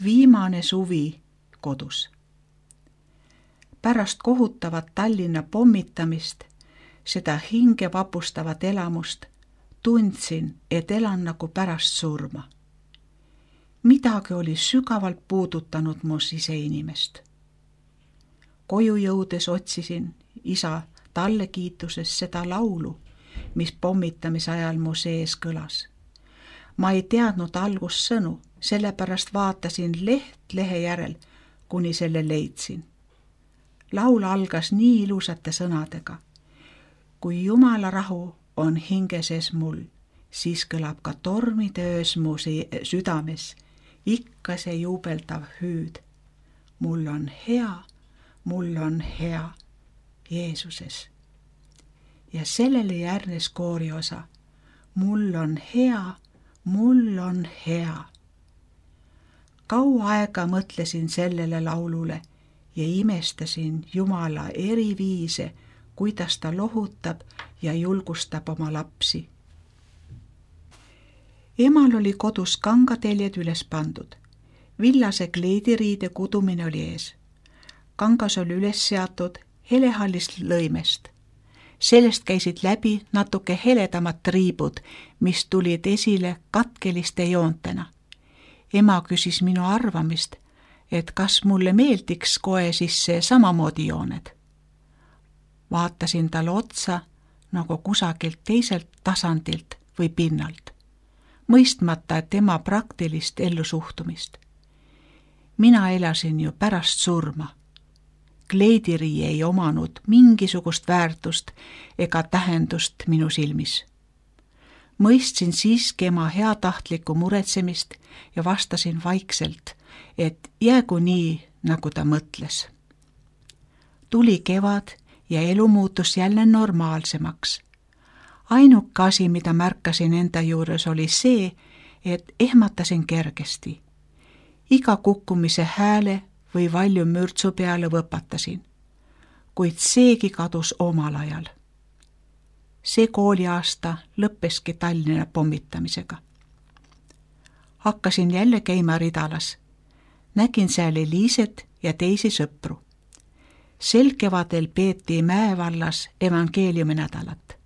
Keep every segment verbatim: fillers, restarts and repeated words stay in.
viimane suvi kodus. Pärast kohutavat Tallinna pommitamist, seda hinge vapustavat elamust, tundsin, et elan nagu pärast surma. Midagi oli sügavalt puudutanud mu siseinimest. Koju jõudes otsisin isa talle kiituses seda laulu, mis pommitamise ajal mu sees kõlas. Ma ei teadnud algussõnu, sellepärast vaatasin leht lehe järel, kuni selle leidsin. Laul algas nii ilusate sõnadega. Kui Jumala rahu on hingeses mul, siis kõlab ka tormide öös mu südames ikka see juubeldav hüüd. Mul on hea, mul on hea Jeesuses. Ja sellele järgnes kooriosa. Mul on hea, mul on hea. Kaua aega mõtlesin sellele laulule ja imestasin Jumala eri viise, kuidas ta lohutab ja julgustab oma lapsi. Emal oli kodus kangateljed üles pandud. Villase kleidiriide kudumine oli ees. Kangas oli üles seatud helehallist lõimest. Sellest käisid läbi natuke heledamad triibud, mis tulid esile katkeliste joontena. Ema küsis minu arvamist, et kas mulle meeldiks kohe sisse samamoodi jooned. Vaatasin talle otsa nagu kusagilt teiselt tasandilt või pinnalt, mõistmata tema praktilist ellusuhtumist. Mina elasin ju pärast surma. Kleidiri ei omanud mingisugust väärtust ega tähendust minu silmis. Mõistsin siiski ema heatahtlikku muretsemist ja vastasin vaikselt, et jäägu nii, nagu ta mõtles. Tuli kevad ja elu muutus jälle normaalsemaks. Ainuke asi, mida märkasin enda juures, oli see, et ehmatasin kergesti. Iga kukkumise hääle või valju mürtsu peale võpatasin, kuid seegi kadus omal ajal. See kooliaasta lõppeski Tallinna pommitamisega. Hakkasin jälle käima ridalas. Nägin seal Eliiset ja teisi sõpru. Sel kevadel peeti Mäevallas evangeeliumi nädalat.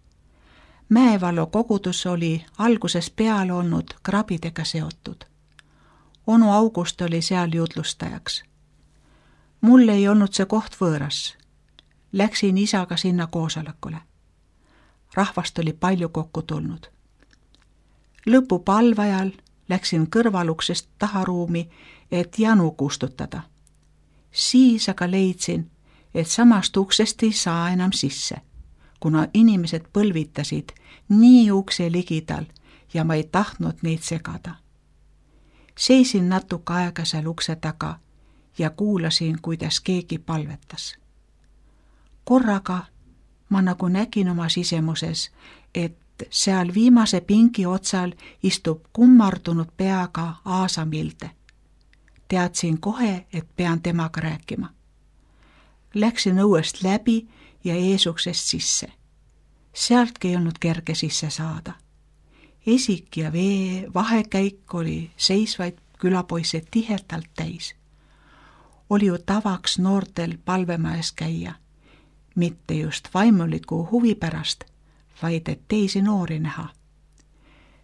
Mäevallo kogudus oli alguses peal olnud krabidega seotud. Onu August oli seal jutlustajaks. Mul ei olnud see koht võõras. Läksin isaga sinna koosolekule. Rahvast oli palju kokku tulnud. Lõpupalve ajal läksin kõrvaluksest taharuumi, et janu kustutada. Siis aga leidsin, et samast uksest ei saa enam sisse, kuna inimesed põlvitasid nii ukse ligidal ja ma ei tahtnud neid segada. Seisin natuke aega seal ukse taga ja kuulasin, kuidas keegi palvetas. Korraga ma nagu nägin oma sisemuses, et seal viimase pingi otsal istub kummardunud peaga Aasa Milde. Teadsin kohe, et pean temaga rääkima. Läksin õuest läbi ja eesuksest sisse. Sealtki ei olnud kerge sisse saada. Esik ja vee vahekäik oli seisvaid külapoisse tihedalt täis. Oli ju tavaks noortel palvemajas käia, mitte just vaimuliku huvi pärast, vaid et teisi noori näha.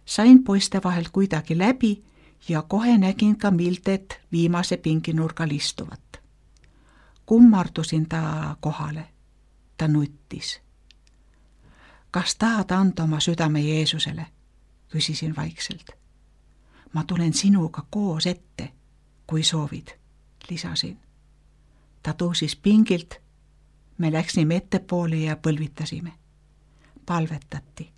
Sain poiste vahelt kuidagi läbi ja kohe nägin ka Mildet viimase pinginurgal istuvat. Kummardusin ta kohale. Ta nuttis. Kas tahad anda oma südame Jeesusele? Küsisin vaikselt. Ma tulen sinuga koos ette, kui soovid, lisasin. Ta tõusis pingilt. Me läksime ettepoole ja põlvitasime. Palvetati.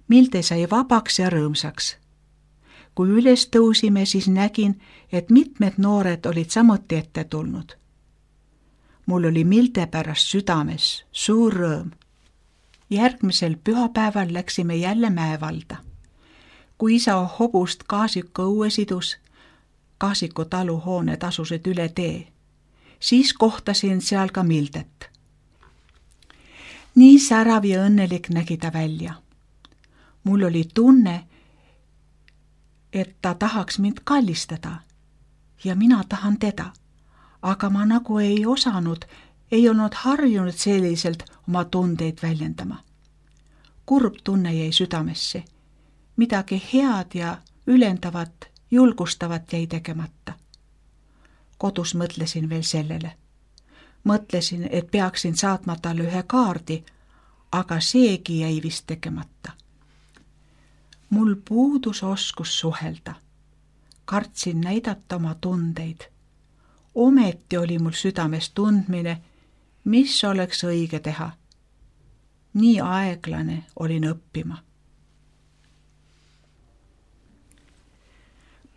Milde sai vabaks ja rõõmsaks. Kui üles tõusime, siis nägin, et mitmed noored olid samuti ette tulnud. Mul oli Milde pärast südames suur rõõm. Järgmisel pühapäeval läksime jälle Mäevalda. Kui isa hobust Kaasiku õue sidus, Kaasiku taluhooned asusid üle tee, siis kohtasin seal ka Mildet. Nii särav ja õnnelik nägi ta välja. Mul oli tunne, et ta tahaks mind kallistada, ja mina tahan teda, aga ma nagu ei osanud, ei olnud harjunud selliselt oma tundeid väljendama. Kurb tunne jäi südamesse, midagi head ja ülendavat, julgustavat jäi tegemata. Kodus mõtlesin veel sellele. Mõtlesin, et peaksin saatma talle ühe kaardi, aga seegi jäi vist tegemata. Mul puudus oskus suhelda. Kartsin näidata oma tundeid. Ometi oli mul südames tundmine, mis oleks õige teha. Nii aeglane olin õppima.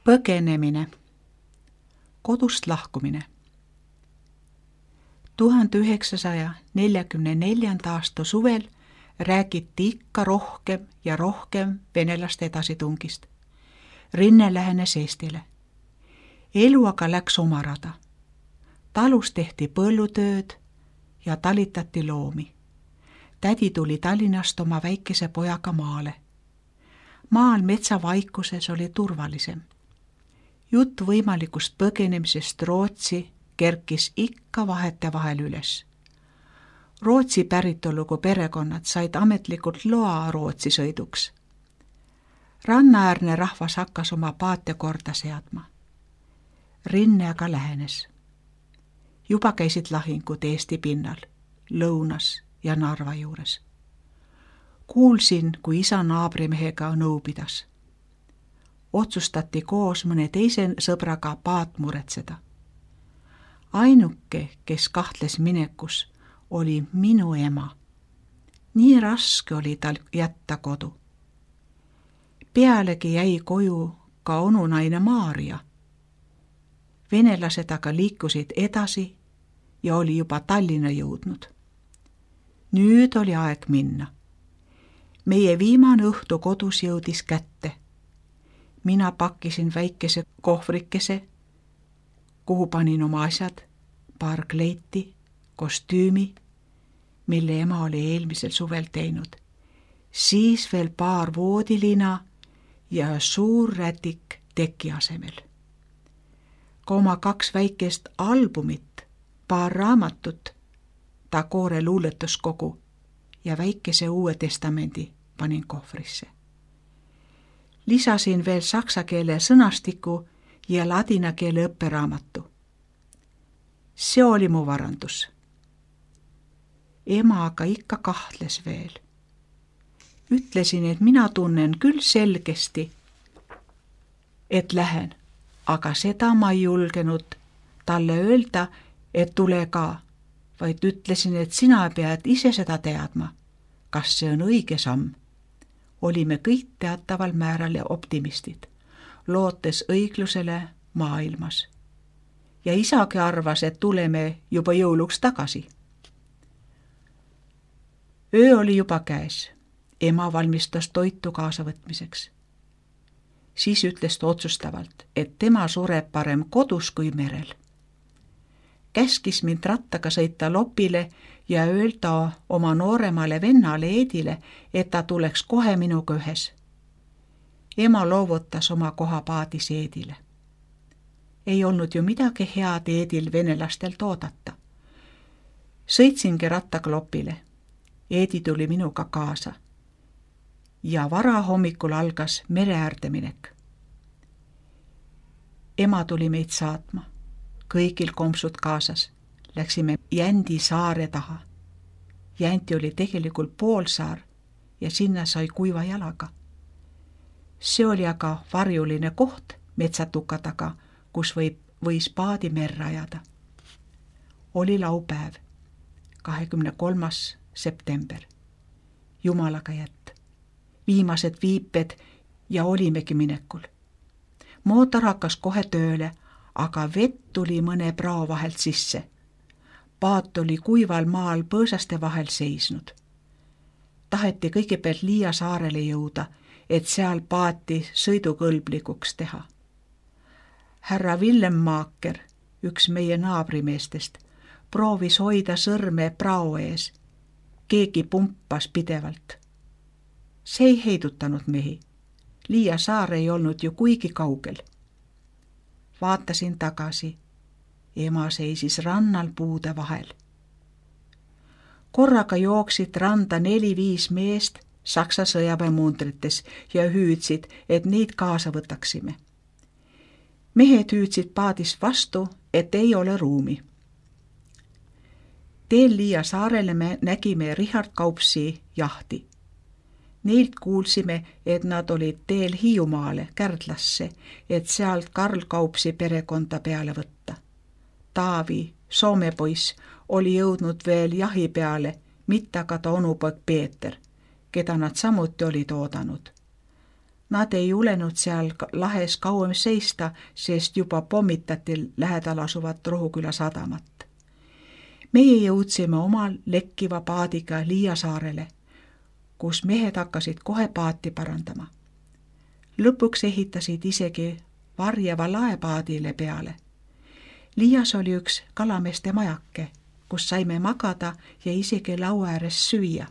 Põgenemine. Kodust lahkumine. tuhande üheksasaja neljakümne neljanda aasta suvel räägiti ikka rohkem ja rohkem venelaste edasitungist. Rinne lähenes Eestile. Elu aga läks oma rada. Talus tehti põllutööd ja talitati loomi. Tädi tuli Tallinnast oma väikese pojaga maale. Maal metsavaikuses oli turvalisem. Jutt võimalikust põgenemisest Rootsi kerkis ikka vahete vahel üles. Rootsi päritolugu perekonnad said ametlikult loa Rootsi sõiduks. Rannaäärne rahvas hakkas oma paate korda seadma. Rinne aga lähenes. Juba käisid lahingud Eesti pinnal, Lõunas ja Narva juures. Kuulsin, kui isa naabrimehega nõu pidas. Otsustati koos mõne teise sõbraga paat muretseda. Ainuke, kes kahtles minekus, oli minu ema. Nii raske oli tal jätta kodu. Pealegi jäi koju ka onunaine Maarja. Venelased aga liikusid edasi ja oli juba Tallinna jõudnud. Nüüd oli aeg minna. Meie viimane õhtu kodus jõudis kätte. Mina pakkisin väikese kohvrikese, kuhu panin oma asjad, paar kleiti, kostüümi, mille ema oli eelmisel suvel teinud. Siis veel paar voodilina ja suur rätik teki asemel. Ka oma kaks väikest albumit, paar raamatut, Tagore luuletuskogu ja väikese Uue Testamendi panin kohvrisse. Lisasin veel saksa keele sõnastiku ja ladina keele õpperaamatu. See oli mu varandus. Ema aga ikka kahtles veel. Ütlesin, et mina tunnen küll selgesti, et lähen, aga seda ma ei julgenud talle öelda, et tule ka, vaid ütlesin, et sina pead ise seda teadma, kas see on õige samm. Olime kõik teataval määral ja optimistid, lootes õiglusele maailmas. Ja isagi arvas, et tuleme juba jõuluks tagasi. Öö oli juba käes. Ema valmistas toitu kaasavõtmiseks. Siis ütles ta otsustavalt, et tema sureb parem kodus kui merel. Käskis mind rattaga sõita Lopile ja öelda oma nooremale vennale Eedile, et ta tuleks kohe minuga ühes. Ema loovutas oma koha paadis Eedile. Ei olnud ju midagi head Eedil venelastelt oodata. Sõitsingi rattaga Lopile. Eedi tuli minuga kaasa. Ja vara hommikul algas mereäärde minek. Ema tuli meid saatma. Kõigil kompsud kaasas. Läksime Jändi saare taha. Jänti oli tegelikult poolsaar ja sinna sai kuiva jalaga. See oli aga varjuline koht metsatuka taga, kus võib, võis paadi merre ajada. Oli laupäev, kahekümne kolmas september. Jumalaga jätt. Viimased viiped ja olimegi minekul. Mootor hakkas kohe tööle, aga vett tuli mõne prao vahelt sisse. Paat oli kuival maal põõsaste vahel seisnud. Taheti kõigepealt Liia saarele jõuda, et seal paati sõidukõlblikuks teha. Härra Villem Maaker, üks meie naabrimeestest, proovis hoida sõrme prao ees. Keegi pumpas pidevalt. See ei heidutanud mehi. Liia saar ei olnud ju kuigi kaugel. Vaatasin takaisin. Ema seisis rannal puude vahel. Korraga jooksid randa neli-viis meest Saksa sõjaväemundrites ja hüüdsid, et neid kaasa võtaksime. Mehed hüüdsid paadist vastu, et ei ole ruumi. Teel Liia saarele me nägime Richard Kaupsi jahti. Neilt kuulsime, et nad olid teel Hiiumaale, Kärdlasse, et sealt Karl Kaupsi perekonda peale võtta. Taavi, Soome poiss, oli jõudnud veel jahi peale, mitte aga ta onupoeg Peeter, keda nad samuti olid oodanud. Nad ei julenud seal lahes kauem seista, sest juba pommitati lähedal asuvat Rohuküla sadamat. Meie jõudsime omal lekkiva paadiga Liia saarele, kus mehed hakkasid kohe paati parandama. Lõpuks ehitasid isegi varjava laepaadile peale. Liias oli üks kalameeste majake, kus saime magada ja isegi laua ääres süüa.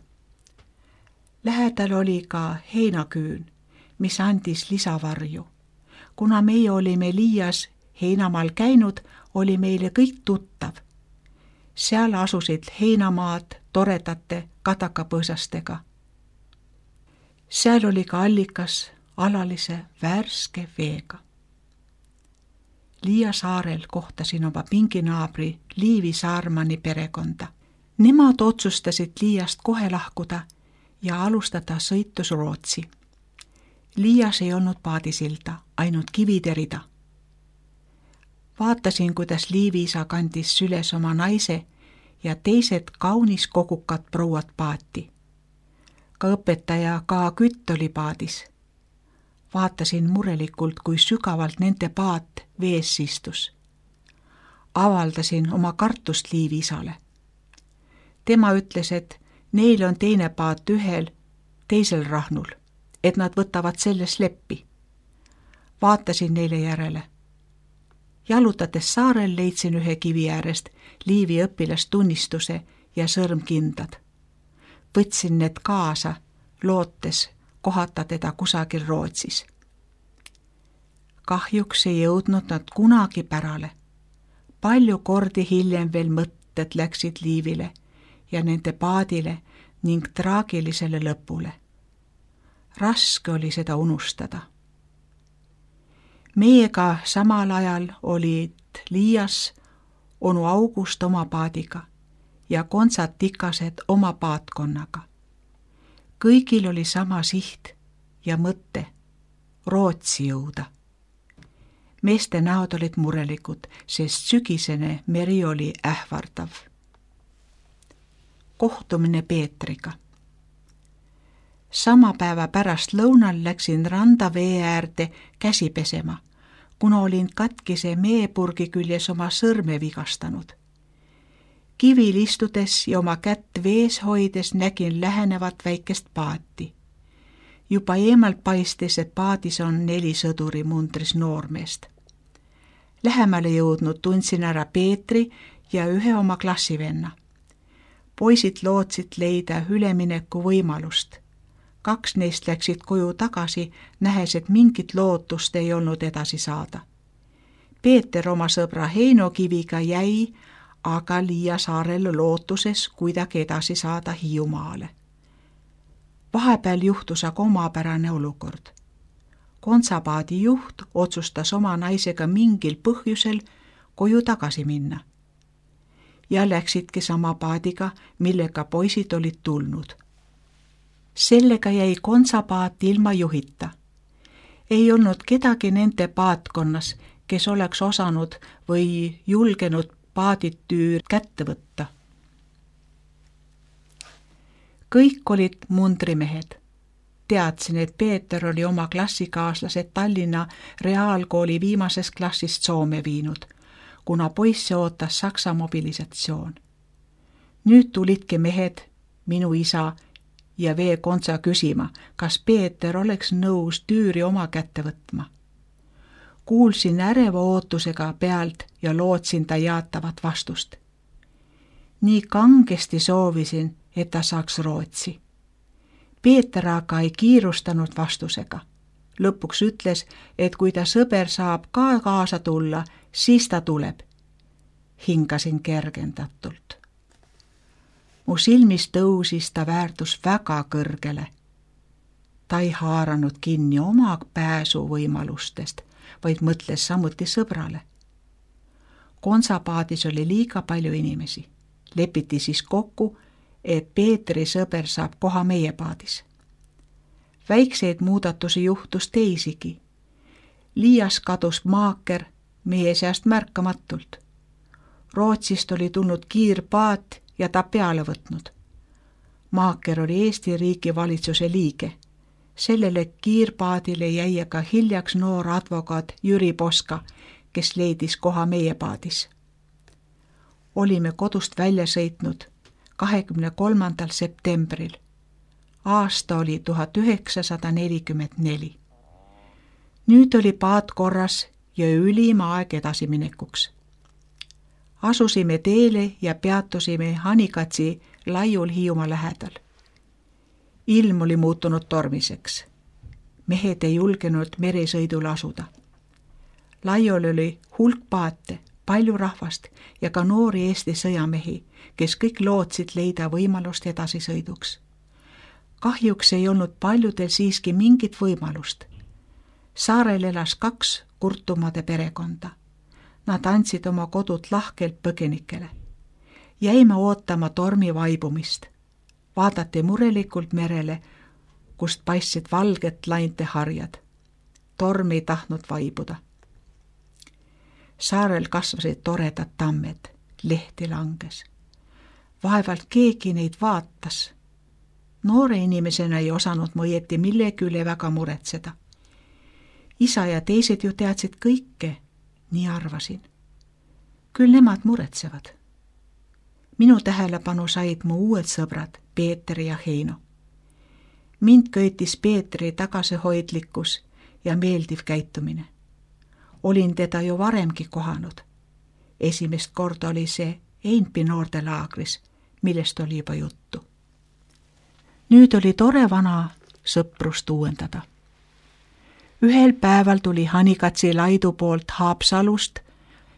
Lähedal oli ka heinaküün, mis andis lisavarju. Kuna meie olime Liias heinamaal käinud, oli meile kõik tuttav. Seal asusid heinamaad toredate katakapõõsastega. Seal oli ka allikas alalise värske veega. Liia saarel kohtasin oma pinginaabri Liivi Saarmani perekonda. Nemad otsustasid Liiast kohe lahkuda ja alustada sõitus Rootsi. Liias ei olnud paadisilda, ainult kivide rida. Vaatasin, kuidas Liivi isa kandis süles oma naise ja teised kaunis kogukad prouad paati. Ka õpetaja K. Kütt oli paadis. Vaatasin murelikult, kui sügavalt nende paat vees istus. Avaldasin oma kartust Liivi isale. Tema ütles, et neil on teine paat ühel, teisel rahnul, et nad võtavad selles leppi. Vaatasin neile järele. Jalutades saarel leidsin ühe kivi äärest Liivi õpilastunnistuse ja sõrmkindad. Võtsin need kaasa, lootes kohata teda kusagil Rootsis. Kahjuks ei jõudnud nad kunagi pärale. Palju kordi hiljem veel mõtted läksid Liivile ja nende paadile ning traagilisele lõpule. Raske oli seda unustada. Meiega samal ajal olid Liias onu August oma paadiga ja kontsad tikased oma paatkonnaga. Kõigil oli sama siht ja mõte Rootsi jõuda. Meeste näod olid murelikud, sest sügisene meri oli ähvardav. Kohtumine Peetriga. Sama päeva pärast lõunal läksin randa vee äärde käsi pesema, kuna olin katkise meepurgi küljes oma sõrme vigastanud. Kivil istudes ja oma kätt vees hoides nägin lähenevat väikest paati. Juba eemalt paistis, et paadis on neli sõduri mundris noormeest. Lähemale jõudnud tundsin ära Peetri ja ühe oma klassivenna. Poisid lootsid leida ülemineku võimalust. Kaks neist läksid koju tagasi, nähes, et mingit lootust ei olnud edasi saada. Peeter oma sõbra Heino Kiviga jäi, aga Liia saarel lootuses kuidagi edasi saada Hiiumaale. Vahepeal juhtus aga omapärane olukord. Kontsapaadi juht otsustas oma naisega mingil põhjusel koju tagasi minna. Ja läksidki sama paadiga, millega poisid olid tulnud. Sellega jäi kontsapaat ilma juhita. Ei olnud kedagi nende paatkonnas, kes oleks osanud või julgenud paaditüür kätte võtta. Kõik olid mundrimehed. Teadsin, et Peeter oli oma klassikaaslased Tallinna reaalkooli viimasest klassist Soome viinud, kuna poisse ootas Saksa mobilisatsioon. Nüüd tulidki mehed, minu isa ja vee kontsa küsima, kas Peeter oleks nõus tüüri oma kätte võtma. Kuulsin äreva ootusega pealt ja lootsin ta jaatavat vastust. Nii kangesti soovisin, et ta saaks Rootsi. Peeter aga ei kiirustanud vastusega. lõpuks ütles, et kui ta sõber saab ka kaasa tulla, siis ta tuleb. Hingasin kergendatult. Mu silmis tõusis ta väärtus väga kõrgele. Ta ei haaranud kinni oma pääsuvõimalustest, vaid mõtles samuti sõbrale. Konsapaadis oli liiga palju inimesi. Lepiti siis kokku, et Peetri sõber saab koha meie paadis. Väikseid muudatusi juhtus teisigi. Liias kadus maaker meie seast märkamatult. Rootsist oli tulnud kiirpaat ja ta peale võtnud. Maaker oli Eesti riigi valitsuse liige. Sellele kiirpaadile jäi aga hiljaks noor advokaat Jüri Poska, kes leidis koha meie paadis. Olime kodust välja sõitnud kahekümne kolmandal septembril. Aasta oli tuhat üheksasada nelikümmend neli. Nüüd oli paat korras ja ülim aeg edasiminekuks. Asusime teele ja peatusime Hanikatsi laiul Hiiumaa lähedal. Ilm oli muutunud tormiseks. Mehed ei julgenud meresõidule asuda. Laiul oli hulk paate, palju rahvast ja ka noori Eesti sõjamehi, kes kõik lootsid leida võimalust edasisõiduks. Kahjuks ei olnud paljudel siiski mingit võimalust. Saarel elas kaks kurtumade perekonda. Nad andsid oma kodud lahkelt põgenikele. Jäime ootama tormi vaibumist. Vaadati murelikult merele, kust paistsid valget lainte harjad. Torm ei tahtnud vaibuda. Saarel kasvasid toredad tammed, lehti langes. Vaevalt keegi neid vaatas. Noore inimesena ei osanud ma õieti millegi üle väga muretseda. Isa ja teised ju teadsid kõike, nii arvasin. Küll nemad muretsevad. Minu tähelepanu said mu uued sõbrad, Peeter ja Heino. Mind köitis Peetri tagasihoidlikkus ja meeldiv käitumine. Olin teda ju varemgi kohanud. Esimest korda oli see Einpi noortelaagris, millest oli juba juttu. Nüüd oli tore vana sõprust uuendada. Ühel päeval tuli Hanikatsi laidu poolt Haapsalust,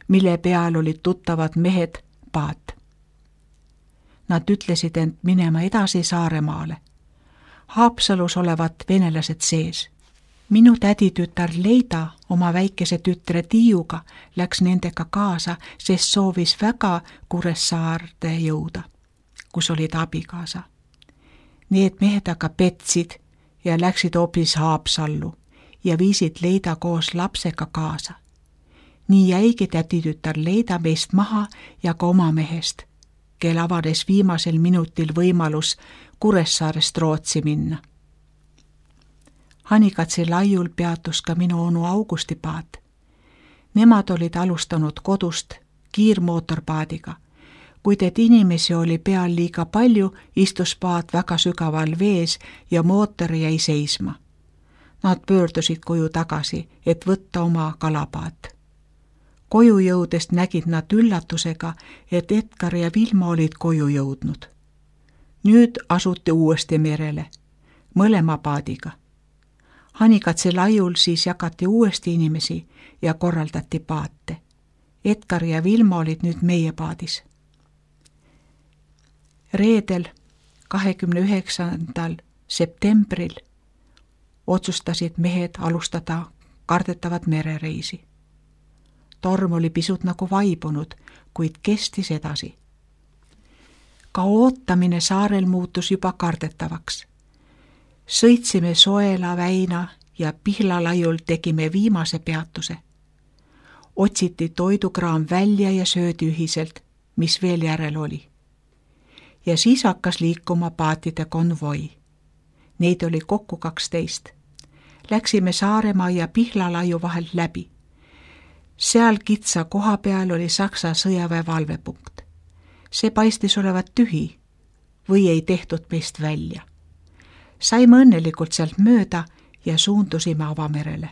mille peal olid tuttavad mehed paat. Nad ütlesid end minema edasi Saaremaale. Haapsalus olevat venelased sees. Minu täditütar Leida oma väikese tütre Tiiuga läks nendega kaasa, sest soovis väga Kuressaarde jõuda, kus olid abikaasa. Need mehed aga petsid ja läksid hoopis Haapsallu ja viisid Leida koos lapsega kaasa. Nii jäigi täditütar Leida meist maha ja ka oma mehest, kel avanes viimasel minutil võimalus Kuressaarest Rootsi minna. Hanikatsi laiul peatus ka minu onu Augusti paat. Nemad olid alustanud kodust kiirmootorpaadiga. Kuid et inimesi oli peal liiga palju, istus paat väga sügaval vees ja mootor jäi seisma. Nad pöördusid koju tagasi, et võtta oma kalapaat. Koju jõudest nägid nad üllatusega, et Edgar ja Vilma olid koju jõudnud. Nüüd asuti uuesti merele, mõlema paadiga. Hanikatsi laiul siis jagati uuesti inimesi ja korraldati paate. Edgar ja Vilma olid nüüd meie paadis. Reedel, kahekümne üheksandal septembril otsustasid mehed alustada kardetavat merereisi. Torm oli pisut nagu vaibunud, kuid kestis edasi. Ka ootamine saarel muutus juba kardetavaks. Sõitsime Soela, Väina ja Pihla laiul tegime viimase peatuse. Otsiti toidukraam välja ja söödi ühiselt, mis veel järel oli. Ja siis hakkas liikuma paatide konvoi. Neid oli kokku kaksteist. Läksime Saaremaa ja Pihla laiu vahelt läbi. Seal kitsa koha peal oli Saksa sõjaväe valvepunkt. See paistis olevat tühi või ei tehtud meist välja. Saime õnnelikult sealt mööda ja suundusime avamerele.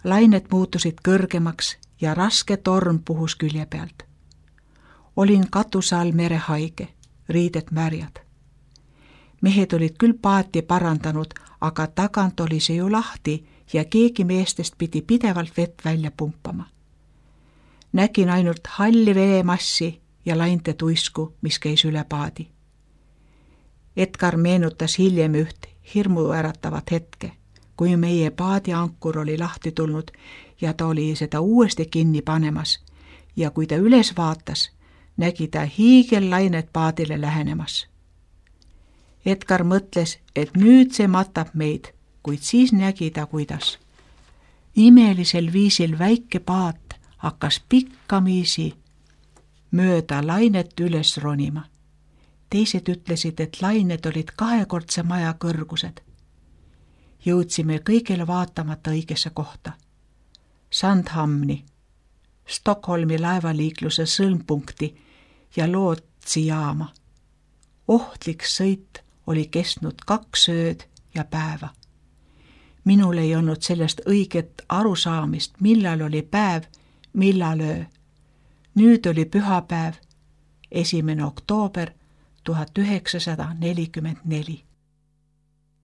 Lained muutusid kõrgemaks ja raske torm puhus külje pealt. Olin katuse all merehaige, riided märjad. Mehed olid küll paati parandanud, aga tagant oli see ju lahti ja keegi meestest pidi pidevalt vett välja pumpama. Nägin ainult halli veemassi ja lainte tuisku, mis käis üle paadi. Edgar meenutas hiljem üht hirmuäratavat hetke, kui meie paadiankur oli lahti tulnud ja ta oli seda uuesti kinni panemas ja kui ta üles vaatas, nägi ta hiigellainet paadile lähenemas. Edgar mõtles, et nüüd see matab meid, kuid siis nägi ta, kuidas. Imelisel viisil väike paat hakkas pikkamisi mööda lainet üles ronima. Teised ütlesid, et lained olid kahekordse maja kõrgused. Jõudsime kõigile vaatamata õigesse kohta. Sandhamni, Stockholmi laevaliikluse sõlmpunkti ja Lootsi jaama. Ohtlik sõit oli kestnud kaks ööd ja päeva. Minul ei olnud sellest õiget arusaamist, millal oli päev, millal öö. Nüüd oli pühapäev, esimene oktoober tuhat üheksasada nelikümmend neli.